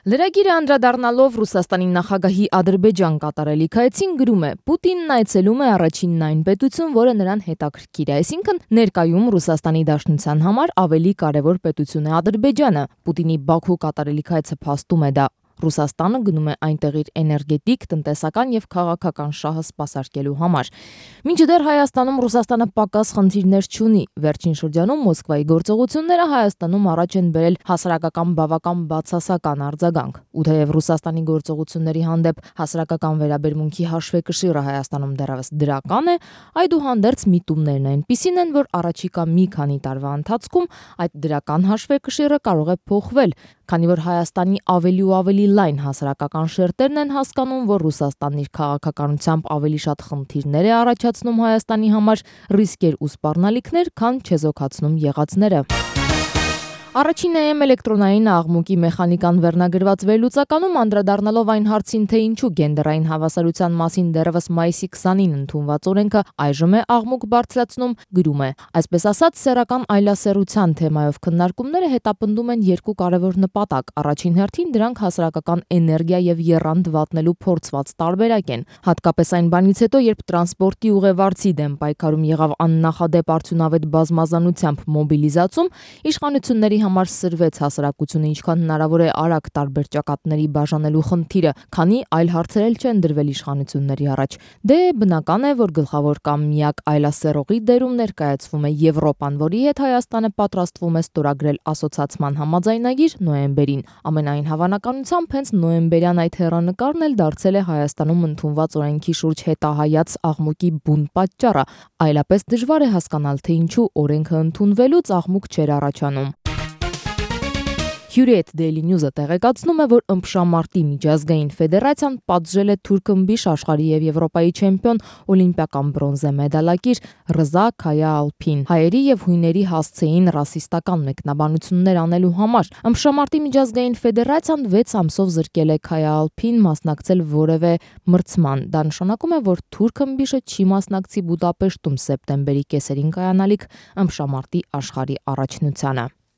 Լրագիրը անդրադառնալով Ռուսաստանի նախագահի Ադրբեջան կատարելիք այցին գրում է. Պուտինն այցելում է առաջինն այն պետություն, որը նրան հետաքրքիր է, այսինքն ներկայում Ռուսաստանի Դաշնության համար ավելի կարևոր պետություն է Ադրբեջանը։ Պուտինի Բաքու կատարելիք այցը փաստում է դա։ Ռուսաստանը գնում է այնտեղ իր էներգետիկ, տնտեսական եւ քաղաքական շահը սպասարկելու համար։ Մինչդեռ Հայաստանում Ռուսաստանը պակաս խնդիրներ չունի։ Վերջին շրջանում Մոսկվայի գործողությունները Հայաստանում առաջ են բերել հասարակական բավական բացասական արձագանք։ Ու թեև Ռուսաստանի գործողությունների հանդեպ հասարակական վերաբերմունքի հաշվեկշիռը Հայաստանում դեռևս դրական է, այդուհանդերձ միտումներն այնպիսին են, որ առաջիկա մի քանի տարվա ընթացքում այդ դրական հաշվեկշիռը կարող է փոխվել, քանի որ Հայաստանի ավելի ու ավելի լայն հասարակական շերտերն են հասկանում, որ Ռուսաստանն իր քաղաքականությամբ ավելի շատ խնդիրներ է առաջացնում Հայաստանի համար, ռիսկեր ու սպառնալիքներ, քան չեզոքացնում եղածները։ Առաջին AM էլեկտրոնային աղմուկի մեխանիկան վերնագրված վերլուծականում անդրադառնալով այն հարցին, թե ինչու գենդերային հավասարության մասին դեռևս մայիսի 20-ին ընդունված օրենքը այժմ է աղմուկ բարձրացնում, գրում է. Այսպես ասած, սեռական այլասեռության թեմայով քննարկումները հետապնդում են երկու կարևոր նպատակ։ Առաջին հերթին դրանք հասարակական էներգիա եւ եռանդ վատնելու փորձված տարբերակ են։ Հատկապես այն բանից հետո, երբ տրանսպորտի ուղևորցի դեմ պայքարում եղավ աննախադեպ արդյունավետ բազմազանությամբ մոբիլիզացում, իշխանությունների համար սրվեց հասարակությունը ինչքան հնարավոր է արագ տարբեր ճակատների բաժանելու խնդիրը, քանի այլ հարցեր էլ չեն դրվել իշխանությունների առաջ։ Դե բնական է, որ գլխավոր կամ միակ այլասեռողի դերում ներկայացվում է Եվրոպան, որի հետ Հայաստանը պատրաստվում է ստորագրել ասոցացման համաձայնագիր նոյեմբերին։ Ամենայն հավանականությամբ հենց նոյեմբերյան այդ հեռանկարն էլ դարձել է Հայաստանում ընդունված օրենքի շուրջ հետահայաց աղմուկի բուն պատճառը, այլապես դժվար է հասկանալ, թե ինչու օրենքը ընդունվելուց աղմուկ չէր առաջանում։ Hürriyet Daily News-ը տեղեկացնում է, որ ըմբշամարտի միջազգային ֆեդերացիան պատժել է թուրք-ըմբիշ աշխարհի եւ Եվրոպայի չեմպիոն օլիմպիական բրոնզե մեդալակիր Ռզա Քայա-Ալփին հայերի եւ հույների հասցեին ռասիստական մեկնաբանություններ անելու համար։ Ըմբշամարտի միջազգային ֆեդերացիան 6 ամսով զրկել է Քայա-Ալփին մասնակցել որևէ մրցման։ Դա նշանակում է, որ թուրք-ըմբիշը չի մասնակցի Բուդապեշտում սեպտեմբերի կեսերին կայանալիք ըմբշամարտի աշխարհի առաջնությանը։